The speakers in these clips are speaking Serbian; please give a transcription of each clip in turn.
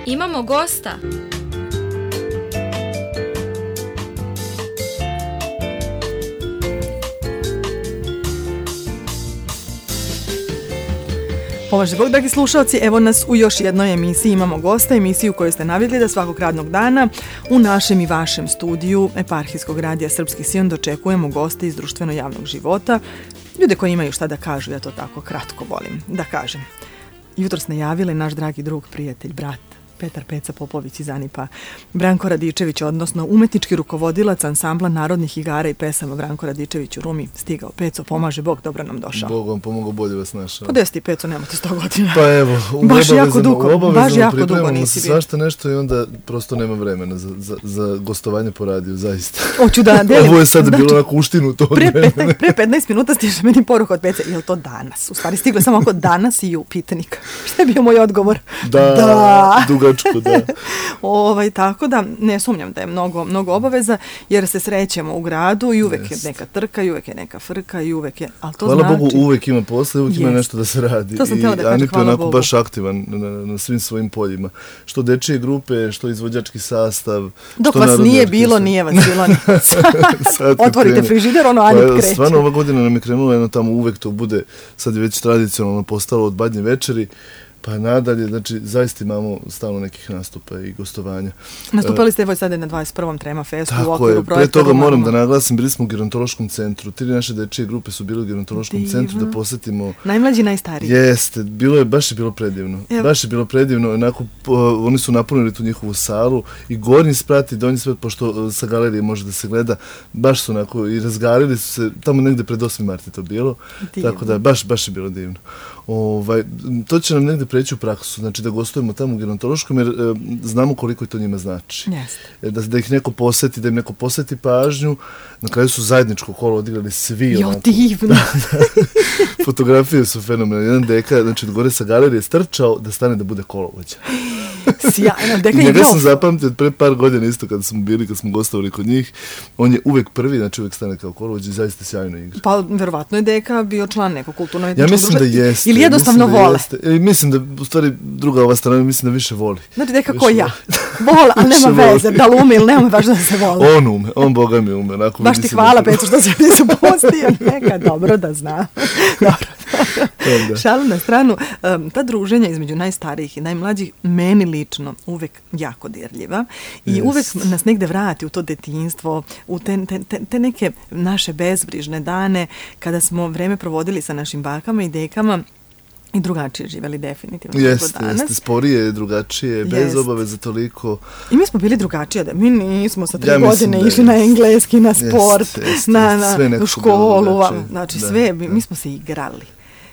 Imamo gosta. Pomaže Bog, dragi slušalci, evo nas u još jednoj emisiji. Imamo gosta, emisiju koju ste navidjeli da svakog radnog dana u našem i vašem studiju Eparhijskog radija Srpski Sion dočekujemo goste iz društveno-javnog života, ljude koji imaju šta da kažu, ja to tako kratko volim da kažem. Jutros najavili naš dragi drug, prijatelj, brat, Petar Peca Popović iz Anipa, Branko Radičević, odnosno umetnički rukovodilac ansambla narodnih igara i pesama Branko Radičević u Rumi. Stigao. Peco, pomaže Bog, dobro nam došao. Bog vam pomogao, bolje vas našao. Pa desi ti, Peco, nemate 100 godina. Pa evo, baš jako dugo nisi bio. Svašta nešto i onda prosto nema vremena za gostovanje po radiju, zaista. Hoću da delim. Ovo je sad bilo na kuštinu to vremena. Pre 15 minuta stiže meni poruka od Peca. Je li to danas? U stvari stiglo samo ako danas i upitanik. Šta je bio moj odgovor? Da. Dugačko, da. Tako da ne sumnjam da je mnogo obaveza, jer se srećemo u gradu i uvek je neka trka, i uvek je neka frka, i uvek je, ali to hvala Bogu, uvek ima posle, uvek ima nešto da se radi. To sam htjela da kažem, Anip je hvala onako Bogu. baš aktivan na svim svojim poljima. Što dečije grupe, što izvođački sastav. Dok vas nije bilo, nije vas bilo. Otvorite frižider, Anip kreće. Stvarno ova godina nam je krenula, jedno tamo uvek to bude, sad je već tradicionalno postalo od Badnje večeri, pa nadalje, znači zaista imamo stalno nekih nastupa i gostovanja. Nastupali ste evo sada na 21. Trema festu u okviru projekta. Tako je, pre toga moram da naglasim, bili smo u gerontološkom centru. 3 naše dečije grupe su bili u gerontološkom centru da posetimo. Najmlađi, najstariji. Jeste, baš je bilo predivno. Baš je bilo predivno, onako, oni su napunili tu njihovu salu i gornji sprat i donji sprat, pošto sa galerije može da se gleda, baš su onako i razgarili su se, tamo negde pred 8. marta to bilo. Divno. Tako da, baš je bilo divno. To će nam negde preći u praksu, znači da gostujemo tamo u gerontološkom, jer znamo koliko to njima znači. Da ih neko poseti, da im neko poseti pažnju. Na kraju su zajedničko kolo odigrali svi. Jo, divno! Fotografije su fenomenalne. Jedan deka, znači od gore sa galerije strčao da stane da bude kolovođa. Sjajno, deka je njega sam zapamtio od pre par godina isto kad smo gostovali kod njih. On je uvek prvi, znači uvek stane kao kolovođa i zaista sjajno igra. Pa verovatno je deka bio član nekog kulturno. Ja mislim da jeste. Ili jednostavno vole. Mislim da, u stvari, druga ova strana, mislim da više voli. Znači deka ko ja. Vola, ali nema veze, da li ume ili nema važno da se voli. On ume, on boga mi ume. Baš ti hvala, Peco, što se mi supostio. Neka, dobro da zna. Dobro. Šalu na stranu, ta druženja između najstarijih i najmlađih meni lično uvek jako dirljiva i uvek nas negde vrati u to detinjstvo, u te neke naše bezbrižne dane kada smo vreme provodili sa našim bakama i dekama i drugačije živeli definitivno. Jeste, sporije, drugačije, bez obaveza toliko. I mi smo bili drugačije, mi nismo sa 3 godine išli na engleski, na sport, na školu, znači sve, mi smo se igrali.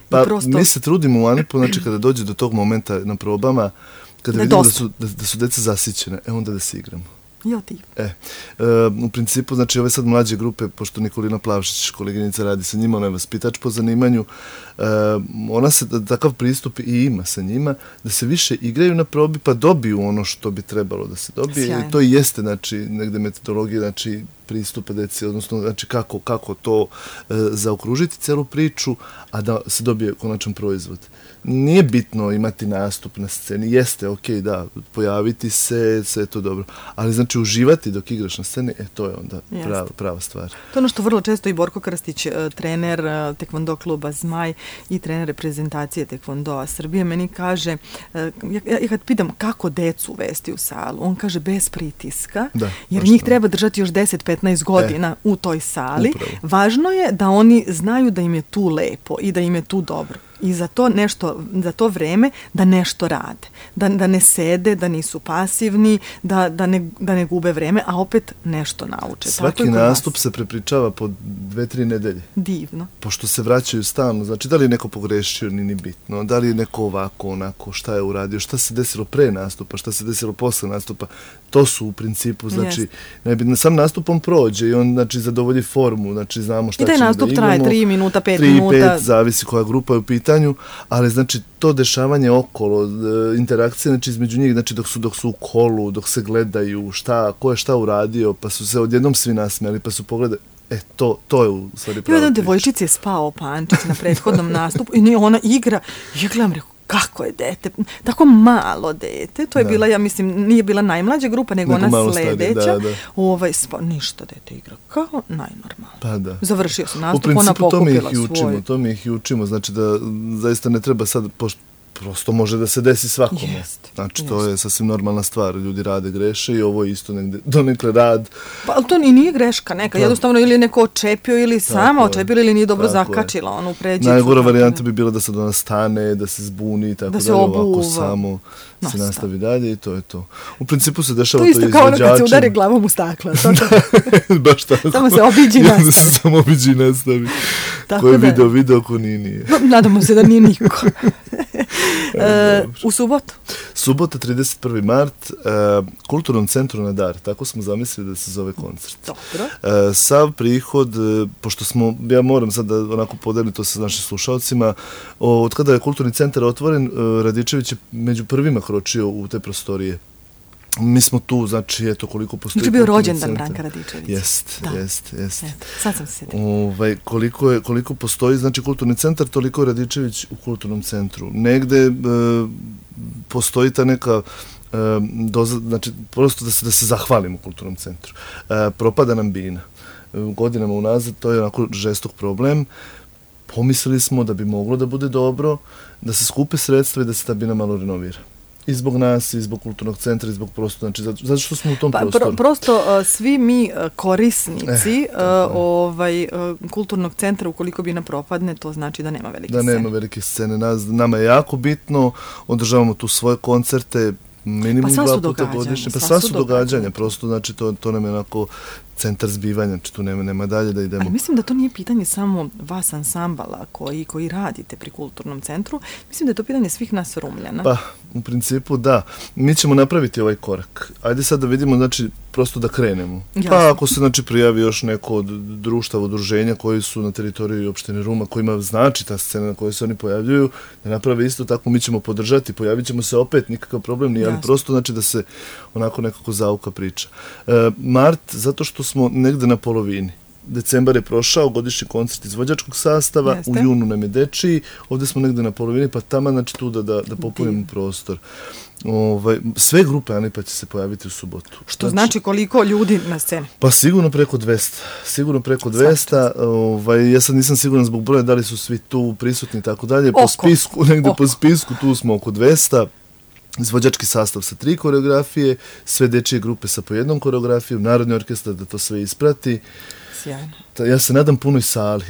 Pa mi se trudimo u Anipu, znači kada dođe do tog momenta na probama, kada vidimo da su deca zasićene, onda da se igramo. U principu, znači ove sad mlađe grupe, pošto Nikolina Plavšić, koleginica, radi sa njima, ona je vaspitač po zanimanju, ona se takav pristup i ima sa njima, da se više igraju na probi pa dobiju ono što bi trebalo da se dobije. I to i jeste, znači, negde metodologija, znači, pristupa deci, odnosno, znači, kako to zaokružiti celu priču, a da se dobije konačan proizvod. Nije bitno imati nastup na sceni, jeste, okej, da, pojaviti se, sve je to dobro, ali znači uživati dok igraš na sceni, to je onda prava stvar. To je ono što vrlo često i Borko Krstić, trener tekvondo kluba Zmaj i trener reprezentacije tekvondoa Srbije, meni kaže, ja kad pitam kako decu uvesti u salu, on kaže bez pritiska, jer njih treba držati još 10-15 godina u toj sali. Upravo. Važno je da oni znaju da im je tu lepo i da im je tu dobro. I za to vreme da nešto rade. Da ne sede, da nisu pasivni, da ne gube vreme, a opet nešto nauče. Svaki nastup se prepričava po 2-3 nedelje. Divno. Pošto se vraćaju stalno, znači da li je neko pogrešio, ni bitno, da li je neko ovako, onako, šta je uradio, šta se desilo pre nastupa, šta se desilo posle nastupa, to su u principu, znači, najbitno, sam nastupom prođe i on, znači, zadovolji formu, znači, znamo šta ćemo da igramo. I taj nastup traje 3 minuta, 5 minuta. 3-5, zavisi koja grupa je u pitanju, ali, znači, to dešavanje okolo, interakcije, znači, između njih, znači, dok su u kolu, dok se gledaju, ko je šta uradio, pa su se odjednom svi nasmijali, pa su pogledali, to je u stvari pravo priča. Jedan devojčici je spao pančić na prethodnom nastupu i ona igra, ja gledam, rekao, kako je dete, tako malo dete, to je bila, ja mislim, nije bila najmlađa grupa, nego ona sledeća. Ništa, dete igra kao najnormalno. Pa da. Završio sam nastup, ona pokupila svoju. To mi ih i učimo, znači da zaista ne treba sad, prosto može da se desi svakome. Znači, to je sasvim normalna stvar. Ljudi rade, greše i ovo je isto negde, donekle rad. Pa, ali to i nije greška neka. Jednostavno, ili je neko očepio, ili sama očepila, ili nije dobro zakačila onu pređicu. Najgora varijanta bi bila da sad ona stane, da se zbuni, tako da se ovako samo se nastavi dalje i to je to. U principu se dešava to izvođačima. To isto kao ono kad se udari glavom u stakla. Baš tako. Samo se obiđi i nastavi. Samo obiđi i nastavi. Ko je video, ko nije. Nadamo se da nije niko. U subotu? Subota, 31. mart, Kulturnom centru na Dar. Tako smo zamislili da se zove koncert. Dobro. Sav prihod, pošto ja moram sad da onako podelim to sa našim slušalcima, od kada je Kulturni centar otvoren, Radičević je među prvima kročio u te prostorije. Mi smo tu, znači, eto koliko postoji... Znači bio rođendan Branka Radičevića. Jest. Sad sam se sjetila. Koliko postoji, znači, Kulturni centar, toliko je Radičević u Kulturnom centru. Negde postoji ta neka znači, prosto da se zahvalimo Kulturnom centru. Propada nam bina. Godinama unazad, to je onako žestok problem. Pomislili smo da bi moglo da bude dobro, da se skupe sredstva i da se ta bina malo renovira. I zbog nas, i zbog Kulturnog centra, i zbog prostora, znači zato što smo u tom prostoru. Prosto svi mi korisnici Kulturnog centra, ukoliko bi nam propadne, to znači da nema velike scene. Da nema velike scene. Nama je jako bitno, održavamo tu svoje koncerte, minimum 2 puta godišnje. Pa sva su događanja, prosto, znači to nam je onako centar zbivanja, znači tu nema dalje da idemo. Ali mislim da to nije pitanje samo vas ansambala koji radite pri Kulturnom centru, mislim da je to pitanje svih nas Rumljana. Pa, u principu da. Mi ćemo napraviti ovaj korak. Ajde sad da vidimo, znači, prosto da krenemo. Jasno. Pa ako se, znači, prijavi još neko od društava, udruženja koji su na teritoriji opštine Ruma, kojima znači ta scena na kojoj se oni pojavljuju, da naprave isto tako, mi ćemo podržati, pojavit ćemo se opet, nikakav problem nije, ali prosto, znači, da se onako nekako zauka priča. Mart, zato što smo negde na polovini. Decembar je prošao, godišnji koncert izvođačkog sastava, u junu nam je dečiji, ovdje smo negde na polovini, pa tamo, znači, tu da popunimo prostor. Sve grupe Anipa će se pojaviti u subotu. Što znači koliko ljudi na sceni? Pa sigurno preko 200. Sigurno preko 200. Ja sad nisam siguran zbog broja da li su svi tu prisutni i tako dalje. Po spisku tu smo oko 200. Izvođački sastav sa 3 koreografije, sve dečije grupe sa po 1 koreografijom, Narodni orkestar da to sve isprati. Sjajno. Ja se nadam punoj sali.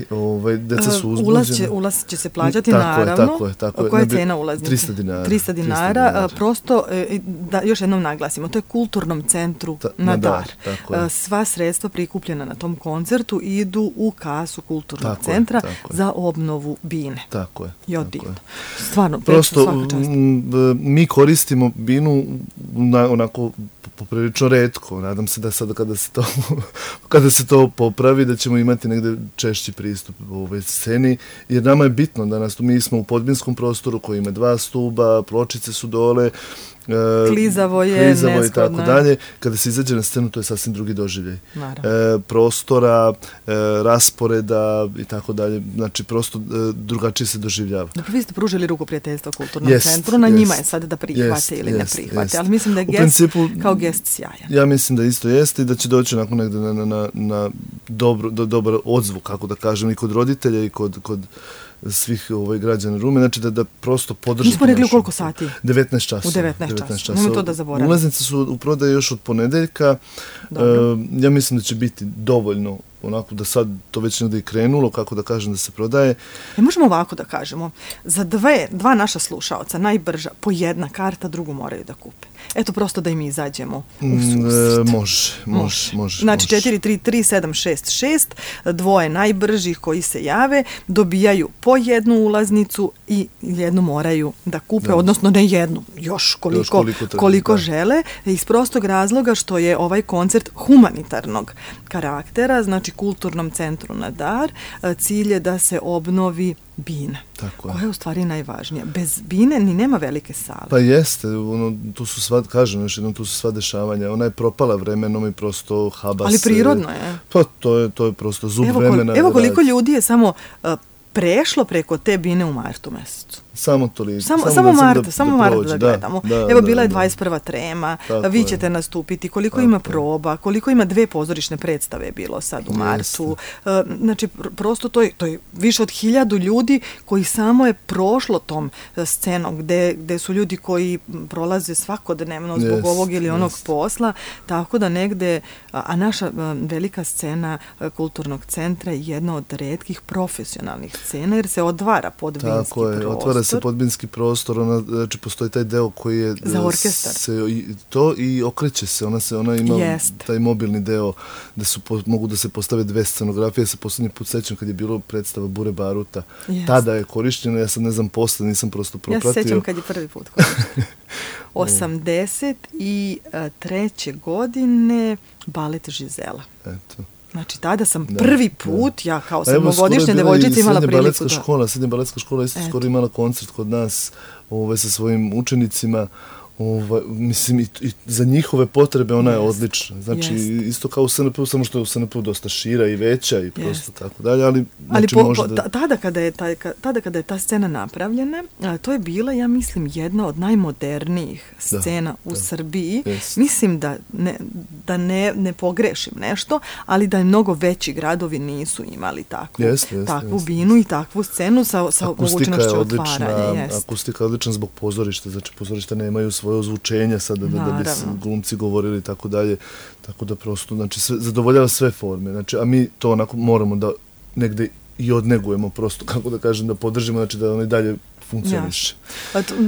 Deca su uzbuđena. Ulaz će se plaćati, naravno. Tako je. Koja je cena ulaznice? 300 dinara. 300 dinara. Prosto, da još jednom naglasimo, to je Kulturnom centru na Dar. Sva sredstva prikupljena na tom koncertu idu u kasu Kulturnog centra za obnovu bine. Tako je. I odivno. Stvarno, prosto, mi koristimo binu onako poprilično retko. Nadam se da sada kada se to popravi, da ćemo imati negde češći pristup u ovoj sceni, jer nama je bitno danas, mi smo u podbinskom prostoru koji ima 2 stuba, pločice su dole, klizavo je, i tako dalje. Kada se izađe na scenu, to je sasvim drugi doživljaj. Prostora, rasporeda i tako dalje. Znači, prosto drugačije se doživljava. Dobro, vi ste pružili ruku prijateljstva Kulturnom centru, na njima je sad da prihvate ili ne prihvate, ali mislim da je gest kao gest sjajan. Ja mislim da isto jeste i da će doći onako negde na dobar odzvuk, kako da kažem, i kod roditelja i kod svih građana Rume, znači da prosto podržite. Nismo rekli u koliko sati? 19 časova. U 19 časova. Nemoj to da zaboravim. Ulaznice su u prodaji još od ponedeljka. Ja mislim da će biti dovoljno, onako da sad to već negdje i krenulo, kako da kažem, da se prodaje. Možemo ovako da kažemo, za dva naša slušaoca, najbrža, po 1 karta, drugu moraju da kupe. Eto, prosto da im izađemo u susret. Može. Znači, 433-766, 2 najbržih koji se jave, dobijaju po 1 ulaznicu i 1 moraju da kupe, odnosno ne 1, još koliko žele, iz prostog razloga što je ovaj koncert humanitarnog karaktera, znači Kulturnom centru na Dar, cilj je da se obnovi bina, koja je u stvari najvažnija. Bez bine ni nema velike sale. Pa jeste, tu su sva, kažem još jednom, tu su sva dešavanja. Ona je propala vremenom i prosto habas. Ali prirodno je. Pa to je prosto zub vremena. Evo koliko ljudi je samo prešlo preko te bine u martu mesecu. Samo toliko. Samo Marta da gledamo. Evo, bila je 21. trema, vi ćete nastupiti, koliko ima proba, koliko ima 2 pozorišne predstave bilo sad u martu. Znači, prosto to je više od 1000 ljudi koji samo je prošlo tom scenom, gde su ljudi koji prolaze svakodnevno zbog ovog ili onog posla, tako da negde, a naša velika scena kulturnog centra je jedna od retkih profesionalnih scena, jer se odvara podvinski prostor. Otvara se podvinski prostor, znači postoji taj deo koji je za orkestar. To i okreće se, ona ima taj mobilni deo da mogu da se postave 2 scenografije. Se poslednji put sećam kad je bilo predstava Bure Baruta. Tada je korišćeno, ja sad ne znam posle, nisam prosto propratio. Ja se sećam kad je prvi put korišćeno. 83. godine balet Žizela. Eto. Znači, tada sam prvi put, ja kao 7-godišnja devojčica imala priliku da... Srednja baletska škola isto skoro imala koncert kod nas sa svojim učenicima. Mislim, i za njihove potrebe ona je odlična. Znači, isto kao u SNP, samo što je u SNP dosta šira i veća i prosto tako dalje, ali može da... Tada kada je ta scena napravljena, to je bila, ja mislim, jedna od najmodernijih scena u Srbiji. Mislim da ne pogrešim nešto, ali da mnogo veći gradovi nisu imali takvu binu i takvu scenu sa mogućnošću otvaranja. Akustika je odlična zbog pozorišta, znači pozorišta nemaju svoje ozvučenja sada da bi glumci govorili i tako dalje, tako da prosto, znači, zadovoljava sve forme, znači, a mi to onako moramo da negde i odnegujemo prosto, kako da kažem, da podržimo, znači da ono i dalje funkcioniše.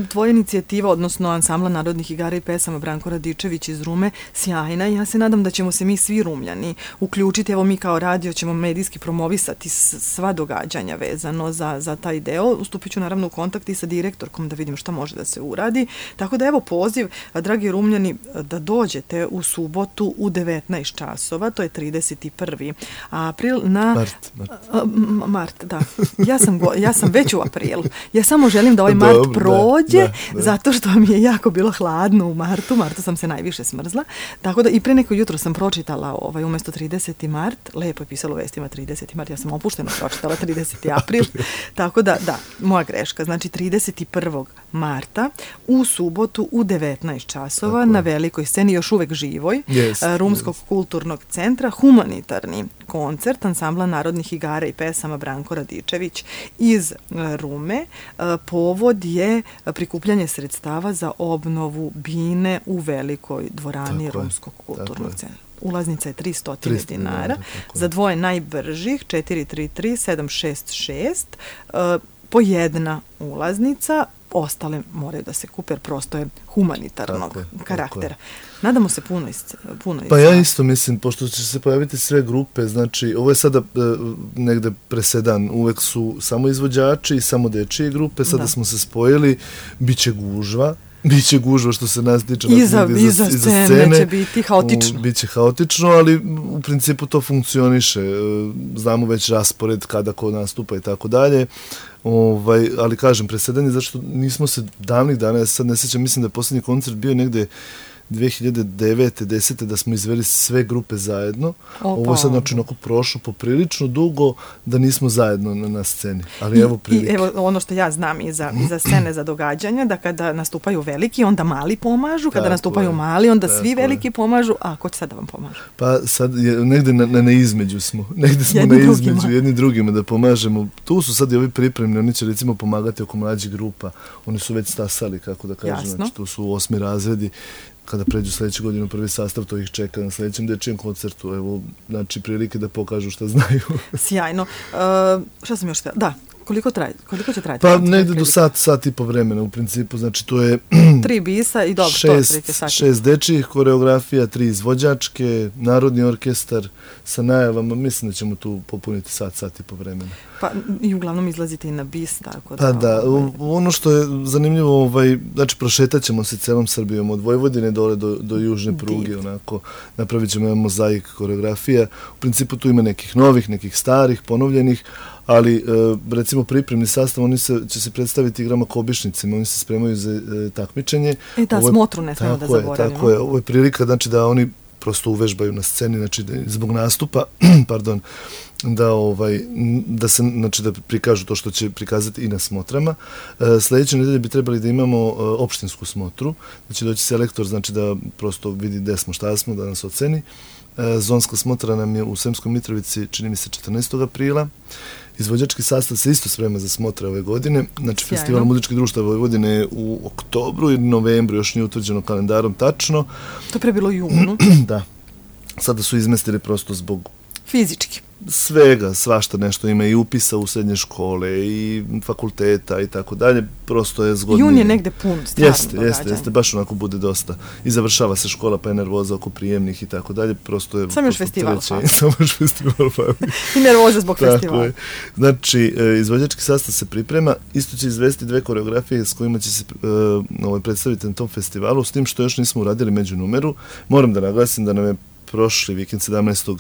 Tvoja inicijativa, odnosno Ansambla narodnih igara i pesama Branko Radičević iz Rume, sjajna i ja se nadam da ćemo se mi svi Rumljani uključiti. Evo, mi kao radio ćemo medijski promovisati sva događanja vezano za taj deo. Ustupit ću naravno u kontakt i sa direktorkom da vidim šta može da se uradi. Tako da evo poziv, dragi Rumljani, da dođete u subotu u 19 časova, to je 31. april na... Mart, da. Ja sam već u aprilu. Ja samo želim da ovaj mart prođe, zato što mi je jako bilo hladno u martu. Martu sam se najviše smrzla. Tako da i pre neko jutro sam pročitala umjesto 30. mart, lepo je pisalo u vestima 30. mart, ja sam opušteno pročitala 30. april. Tako da, moja greška. Znači 31. marta u subotu u 19 časova na velikoj sceni, još uvek živoj, Rumskog kulturnog centra, humanitarni koncert Ansambla narodnih igara i pesama Branko Radičević iz Rume. Povod je prikupljanje sredstava za obnovu bine u velikoj dvorani Rumskog kulturnog centra. Ulaznica je 300 dinara. Za dvoje najbržih 433-766 po jedna ulaznica. Ostale moraju da se kupe, jer prosto je humanitarnog karaktera. Nadamo se puno. Pa ja isto mislim, pošto će se pojaviti sve grupe, znači ovo je sada negde presedan, uvek su samo izvođači i samo dečije grupe, sada smo se spojili, Biće gužva što se nas tiče. Iza scene će biti haotično. Biće haotično, ali u principu to funkcioniše. Znamo već raspored kada ko nastupa i tako dalje. Ali kažem, presedanje, zašto nismo se davnih dana, ja sad ne sjećam, mislim da je posljednji koncert bio negde 2009. 10. da smo izveli sve grupe zajedno. Ovo je sad znači prošlo poprilično dugo da nismo zajedno na sceni. Ali evo prilike. I evo ono što ja znam iza scene za događanja, da kada nastupaju veliki, onda mali pomažu, kada nastupaju mali, onda svi veliki pomažu, a ko će sad da vam pomažu? Pa sad negde na između smo. Negde smo na između jedni drugima da pomažemo. Tu su sad i ovi pripremni, oni će recimo pomagati oko mlađih grupa. Oni su već stasali, kako da kažem. Znači, tu su 8. razredi. Kada pređu sljedeću godinu prvi sastav, to ih čeka na sljedećem dečijem koncertu. Evo, znači, prilike da pokažu šta znaju. Sjajno. Šta sam još htjela? Da, koliko će trajati? Pa negde do sat i po vremena, u principu. Znači, to je... 3 bisa i dobro, to je prilike sati. 6 dečijih koreografija, 3 izvođačke, narodni orkestar sa najavama. Mislim da ćemo tu popuniti sat i po vremena. Pa i uglavnom izlazite i na bis, tako da... Pa da, ono što je zanimljivo, znači prošetat ćemo se celom Srbijom, od Vojvodine dole do južne pruge, onako, napravit ćemo jedan mozaik koreografija. U principu tu ima nekih novih, nekih starih, ponovljenih, ali recimo pripremni sastav, oni će se predstaviti igrama Kobišnicima, oni se spremaju za takmičenje. Smotru ne smemo da zaboravimo. Tako je, ovo je prilika, znači da oni prosto uvežbaju na sceni, znači zbog nastupa, pardon, da se, znači da prikažu to što će prikazati i na smotrama. Sljedeće nedelje bi trebali da imamo opštinsku smotru, da će doći selektor, znači da prosto vidi gde smo, šta smo, da nas oceni. Zonska smotra nam je u Sremskoj Mitrovici, čini mi se 14. aprila. Izvođački sastav se isto sprema za smotre ove godine. Znači, Sjajno. Festival muzičkih društava Vojvodine je u oktobru ili novembru, još nije utvrđeno kalendarom tačno. To pre bilo u junu. Da. Sada su izmestili prosto zbog Fizički. svega, svašta nešto ima i upisa u srednje škole i fakulteta i tako dalje, prosto je zgodnije. Jun je negde pun stvarno događanja. Jeste, baš onako bude dosta. I završava se škola, pa je nervoza oko prijemnih i tako dalje, prosto je... Samo još festival. Samo još festival. I nervoza zbog Tako festivala. je. Znači, izvođački sastav se priprema, isto će izvesti 2 koreografije s kojima će se predstaviti na tom festivalu, s tim što još nismo uradili međunumeru. Moram da naglasim da nam je prošli vikend 17.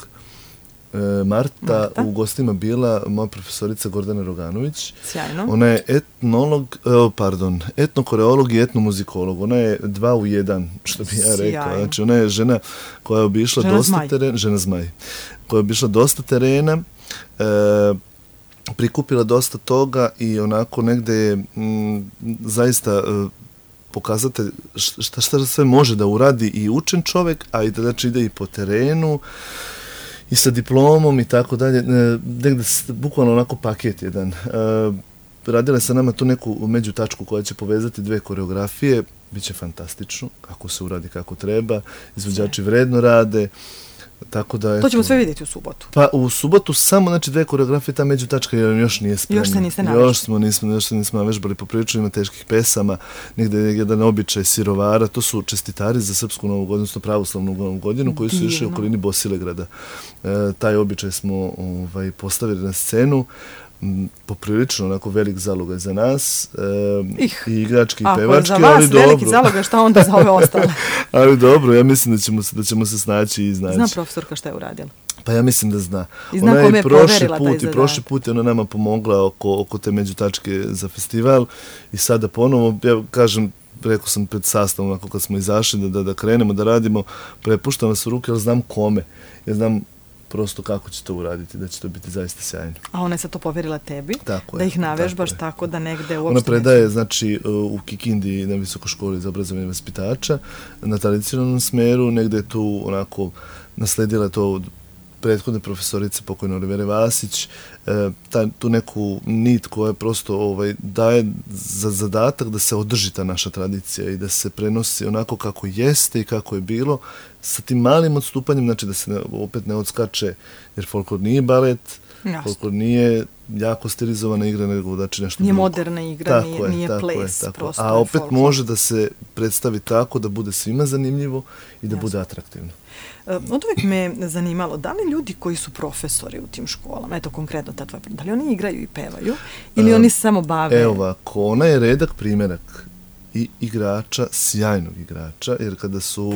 Marta u gostima bila moja profesorica Gordana Roganović. Sjajno. Ona je etnokoreolog i etnomuzikolog. Ona je 2 u 1, što bi ja rekao. Znači, ona je žena koja je obišla dosta terena. Žena zmaj. Koja je obišla dosta terena, prikupila dosta toga i onako negde je zaista pokazatelj šta sve može da uradi i učen čovek, a i da znači ide i po terenu i sa diplomom i tako dalje, negde bukvalno onako paket jedan. Radila je sa nama tu neku međutačku koja će povezati 2 koreografije, bit će fantastično, kako se uradi kako treba, izvođači vredno rade, tako da... To ćemo sve vidjeti u subotu. Pa u subotu samo, znači 2 koreografije, ta međutačka još nije spremna. Još se niste navežbali. Još se nismo navežbali, poprilično ima teških pesama, negde je jedan običaj sirovara, to su čestitari za Srpsku novu godinu, odnosno pravoslavnu novu godinu, koji su išli u okolini Bosilegrada. Taj običaj smo postavili na scenu, poprilično onako velik zalogaj za nas, i igrački i pevački, ali dobro. Ako je za vas veliki zalogaj, šta onda za ove ostale? Ali dobro, ja mislim da ćemo se snaći i iznaći. Zna profesorka šta je uradila? Pa ja mislim da zna. I zna kome je poverila taj zadatak. I prošli put je ona nama pomogla oko te međutačke za festival i sada ponovo, ja kažem, rekao sam pred sastavom, ako kad smo izašli da krenemo, da radimo, prepuštam vas u ruke, ali znam kome. Ja znam prosto kako će to uraditi, da će to biti zaista sjajno. A ona je sad to poverila tebi? Tako da je, ih navežbaš tako da negde uopšte... Ona predaje, znači, u Kikindi na Visokoj školi za obrazovanje vaspitača, na tradicionalnom smeru, negde je tu onako nasledila to od prethodne profesorice pokojne Olivere Vasić, tu neku nit koja prosto daje za zadatak da se održi ta naša tradicija i da se prenosi onako kako jeste i kako je bilo, sa tim malim odstupanjem, znači da se opet ne odskače, jer folklor nije balet, folklor nije jako stilizovana igra, nego znači nešto... Nije moderna igra, nije ples. A opet može da se predstavi tako da bude svima zanimljivo i da bude atraktivno. Od uvijek me zanimalo, da li ljudi koji su profesori u tim školama, eto konkretno ta tvoja, da li oni igraju i pevaju ili oni se samo bave? Evo ovako, ona je redak primjerak i igrača, sjajnog igrača, jer kada su...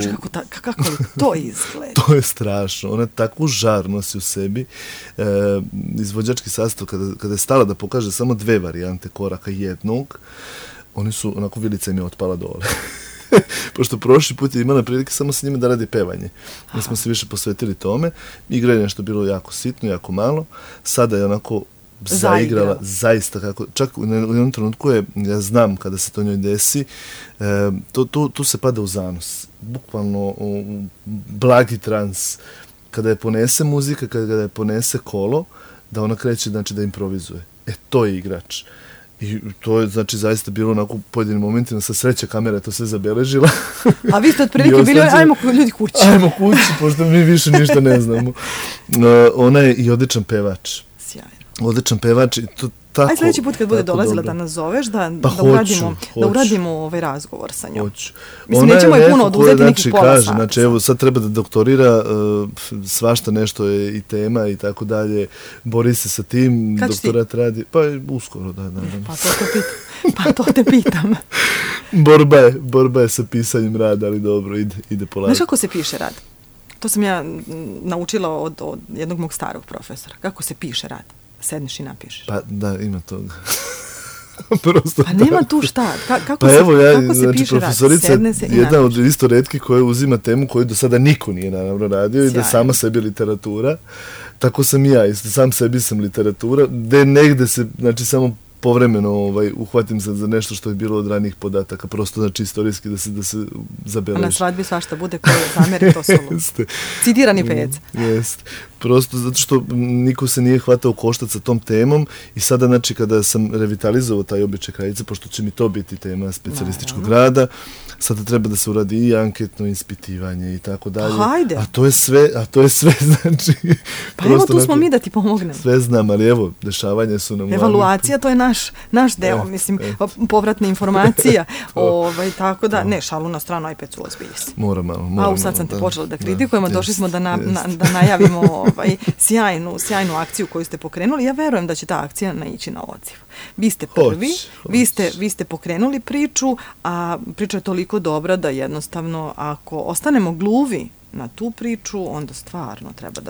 Kako li to izgleda? To je strašno. Ona takvu žar nosi u sebi. Izvođački sastav, kada je stala da pokaže samo 2 varijante koraka jednog, oni su, onako, vilica im je otpala dole. Pošto prošli put je imala prilike samo sa njima da radi pevanje. Mi smo se više posvetili tome. Igra je nešto bilo jako sitno, jako malo. Sada je onako zaigrala zaista kako, čak u jednom trenutku je, ja znam kada se to njoj desi, tu se pada u zanos. Bukvalno blagi trans. Kada je ponese muzika, kada je ponese kolo, da ona kreće, znači, da improvizuje. To je igrač. I to je, znači, zaista bilo onako u pojedinim momentima, sa sreće kamera je to sve zabeležila. A vi ste otprilike bili, ajmo ljudi kući. Ajmo kući, pošto mi više ništa ne znamo. Ona je i odličan pevač. Sjajno. Odličan pevač i to tako... Aj sljedeći put kad bude dolazila da nas zoveš, da uradimo ovaj razgovor sa njom. Hoću. Mislim, nećemo je puno oduzeti nekih pola sata. Znači, evo, sad treba da doktorira, svašta nešto je i tema i tako dalje, bori se sa tim, doktorat radi, pa uskoro, da. Pa to te pitam. Borba je sa pisanjem rada, ali dobro, ide polako. Znaš kako se piše rad? To sam ja naučila od jednog mog starog profesora. Kako se piše rad? Sedneš i napišeš. Pa da, ima toga. Prosto pa nema tu šta, kako pa se, evo, kako se znači, piše profesorica sedne se i jedna napiše. od isto retki koja uzima temu koju do sada niko nije naravno radio i da Sjajno. sama sebi literatura. Tako sam i ja, isto, sam sebi sam literatura, gde negde se, znači, samo povremeno uhvatim se za nešto što je bilo od ranijih podataka, prosto, znači, istorijski da se zabeleži. A na svadbi svašta bude koje zameri, to su Jeste. citirani pec. Jeste. Prosto zato što niko se nije hvatao koštac sa tom temom i sada, znači, kada sam revitalizovao taj običaj kraljice, pošto će mi to biti tema specijalističkog rada, sada treba da se uradi i anketno ispitivanje i tako dalje. Hajde. A to je sve, znači... Pa evo tu smo mi da ti pomognemo. Sve znam, ali evo, dešavanja su nam... Evaluacija, to je naš deo, mislim, povratna informacija. Tako da, ne, šalu na stranu, aj pecu ozbilji se. Mora malo. Sad sam te počela da kritikujemo, došli smo da najavimo sjajnu akciju koju ste pokrenuli. Ja verujem da će ta akcija naići na odziv. Vi ste prvi, vi ste pokrenuli priču, a priča je toliko dobra da jednostavno ako ostanemo gluvi na tu priču, onda stvarno treba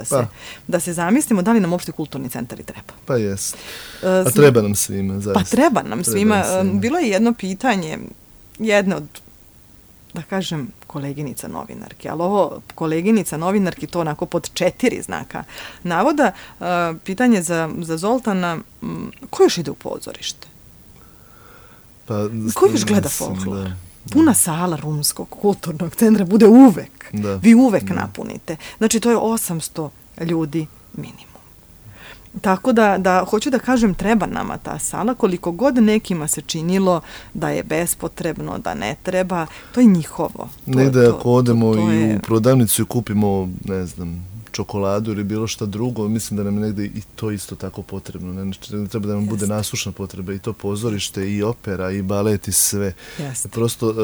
da se zamislimo da li nam uopšte kulturni centar i treba. Pa jest. A treba nam svima, zaista. Pa treba nam svima. Bilo je jedno pitanje, jedne od, da kažem, koleginica novinarki, ali ovo koleginica novinarki to onako pod 4 znaka navoda. Pitanje za Zoltana, ko još ide u pozorište? Ko još gleda folklor? Puna sala Rumskog kulturnog centra bude uvek. Vi uvek napunite. Znači, to je 800 ljudi minimum. Tako da, hoću da kažem, treba nama ta sala, koliko god nekima se činilo da je bespotrebno, da ne treba, to je njihovo. Negde ako odemo i u prodavnicu i kupimo, ne znam, čokoladu ili bilo šta drugo, mislim da nam je negde i to isto tako potrebno. Ne treba da nam bude nasušna potreba i to pozorište, i opera, i balet, i sve. Prosto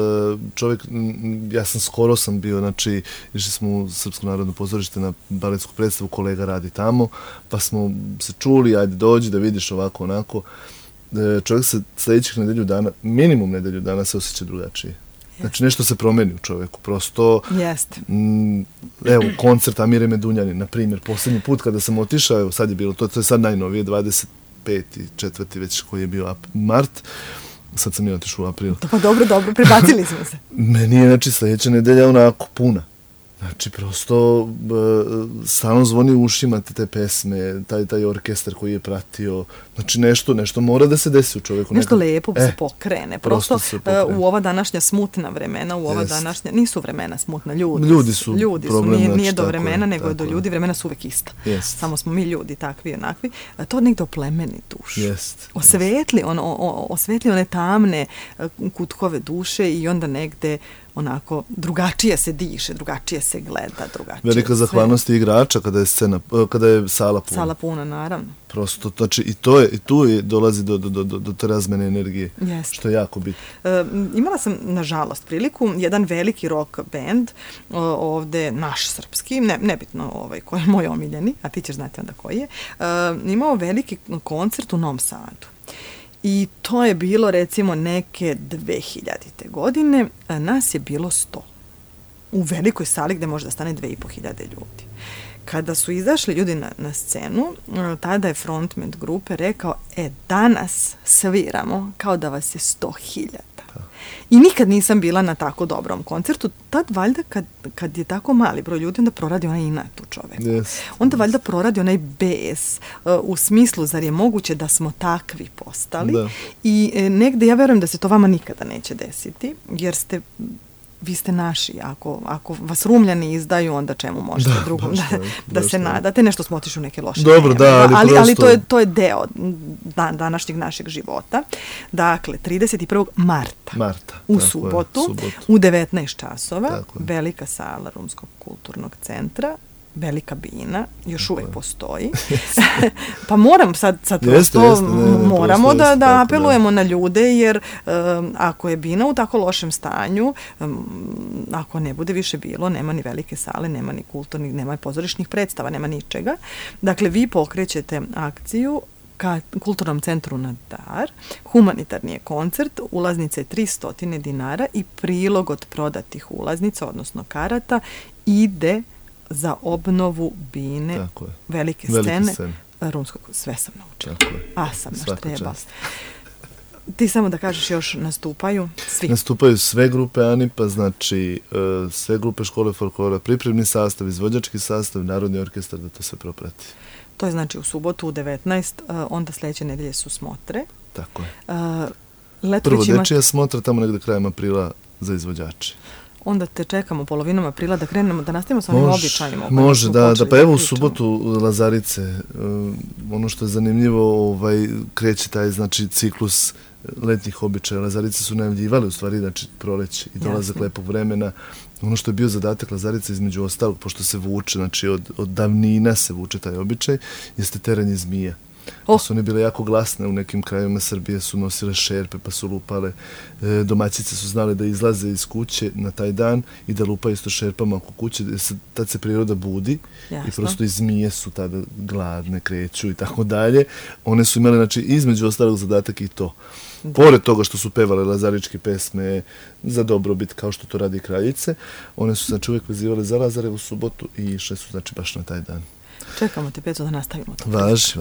čovjek, skoro sam bio, znači, išli smo u Srpsko narodno pozorište na baletsku predstavu, kolega radi tamo, pa smo se čuli, ajde dođi da vidiš ovako, onako. Čovjek se sljedećih nedelju dana, minimum nedelju dana se osjeća drugačije. Znači, nešto se promeni u čoveku, prosto... Jeste. Evo, koncert Amire Medunjani, na primjer, posljednji put kada sam otišao, evo, sad je bilo, to je sad najnovije, 25.4. već koji je bio mart, sad sam i otišao u aprilu. Pa dobro, prebacili smo se. Meni je, znači, sljedeća nedelja onako puna. Znači, prosto, stalno zvoni u ušima te pesme, taj orkestar koji je pratio. Znači, nešto mora da se desi u čoveku. Nešto lepo se pokrene. Prosto, u ova današnja smutna vremena, nisu vremena smutna, ljudi su problem, nije do vremena, nego je do ljudi, vremena su uvek ista. Samo smo mi ljudi, takvi i onakvi. To negde oplemeni dušu. Osvetli one tamne kutkove duše i onda negde onako drugačije se diše, drugačije se gleda, drugačije. Velika zahvalnost igrača kada je sala puna. Sala puna, naravno. Prosto, znači i tu dolazi do te razmene energije, što je jako bitno. Imala sam, nažalost, priliku, jedan veliki rock band, ovde naš srpski, nebitno ko je moj omiljeni, a ti ćeš znati onda koji je, imao veliki koncert u Novom Sadu. I to je bilo, recimo, neke 2000. godine. Nas je bilo 100. U velikoj sali gde može da stane 2500 ljudi. Kada su izašli ljudi na scenu, tada je frontman grupe rekao, danas sviramo kao da vas je 100.000. I nikad nisam bila na tako dobrom koncertu. Tad valjda kad je tako mali broj ljudi, onda proradi onaj inat u čoveku. Onda valjda proradi onaj bes u smislu, zar je moguće da smo takvi postali. I negde ja verujem da se to vama nikada neće desiti, jer vi ste naši. Ako vas Rumljani izdaju, onda čemu možete drugom da se nadate. Nešto smo otišli u neke loše ali to je deo današnjeg našeg života. Dakle, 31. marta u subotu u 19 časova, velika sala Rumskog kulturnog centra, velika bina, još uvek postoji. Pa moram sad prosto, moramo da apelujemo na ljude, jer ako je bina u tako lošem stanju, ako ne bude više bilo, nema ni velike sale, nema ni kulturnih, nema pozorišnih predstava, nema ničega. Dakle, vi pokrećete akciju ka Kulturnom centru na Dar, humanitarni je koncert, ulaznica je 300 dinara i prilog od prodatih ulaznica, odnosno karata, ide za obnovu bine, velike scene Rumskog. Sve sam naučila. Sam naš treba. Ti samo da kažeš još nastupaju svi. Nastupaju sve grupe ANIP-a, znači sve grupe škole folklora, pripremni sastav, izvođački sastav, narodni orkestar, da to sve proprati. To je znači u subotu u 19, onda sljedeće nedelje su smotre. Tako je. Letović Prvo dečija smotra, tamo negde krajem aprila za izvođače. Onda te čekamo polovinom aprila da krenemo, da nastavimo sa onim običajima. Može, da, pa evo u subotu Lazarice, ono što je zanimljivo, kreće taj, znači, ciklus letnjih običaja. Lazarice su najavljivali, u stvari, znači, proleće i dolazak lepog vremena. Ono što je bio zadatak Lazarice, između ostalog, pošto se vuče, znači, od davnina se vuče taj običaj, jeste teranje zmija. Pa su one bile jako glasne, u nekim krajevima Srbije su nosile šerpe pa su lupale, domaćice su znale da izlaze iz kuće na taj dan i da lupaju isto šerpama oko kuće, tad se priroda budi. Jasno. I prosto i zmije su tada gladne, kreću i tako dalje. One su imale, znači, između ostalog zadatak i to. Pored toga što su pevale lazaričke pesme za dobrobit, kao što to radi kraljice, one su, znači, uvijek vezivale za Lazarevu subotu i išle su, znači, baš na taj dan. Čekamo te, Peco, da nastavimo to. Važi.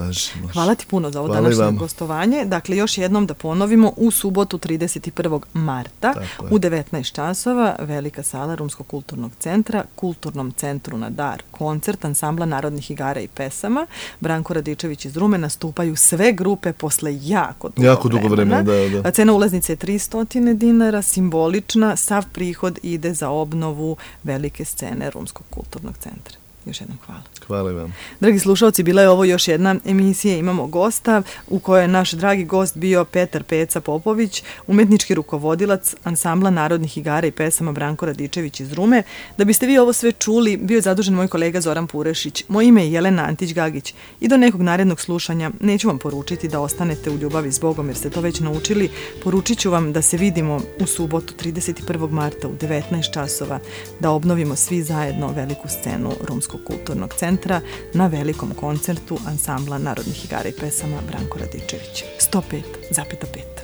Hvala ti puno za ovo današnje gostovanje. Dakle, još jednom da ponovimo, u subotu 31. marta u 19 časova velika sala Rumskog kulturnog centra, Kulturnom centru na dar, koncert ansambla narodnih igara i pesama. Branko Radičević iz Rume, nastupaju sve grupe posle jako dugo vremena. Da. Cena ulaznice je 300 dinara, simbolična, sav prihod ide za obnovu velike scene Rumskog kulturnog centra. Još jednom hvala. Hvala vam. Dragi slušalci, bila je ovo još jedna emisija Imamo gosta, u kojoj je naš dragi gost bio Petar Peca Popović, umetnički rukovodilac ansambla narodnih igara i pesama Branko Radičević iz Rume. Da biste vi ovo sve čuli, bio je zadužen moj kolega Zoran Purešić. Moje ime je Jelena Antić-Gagić i do nekog narednog slušanja neću vam poručiti da ostanete u ljubavi s Bogom, jer ste to već naučili. Poručit ću vam da se vidimo u subotu 31. marta u 19 časova, da obnovimo svi zajedno veliku scenu Rumskog kulturnog centra na velikom koncertu ansambla narodnih igara i pesama Branko Radičević. 105,5.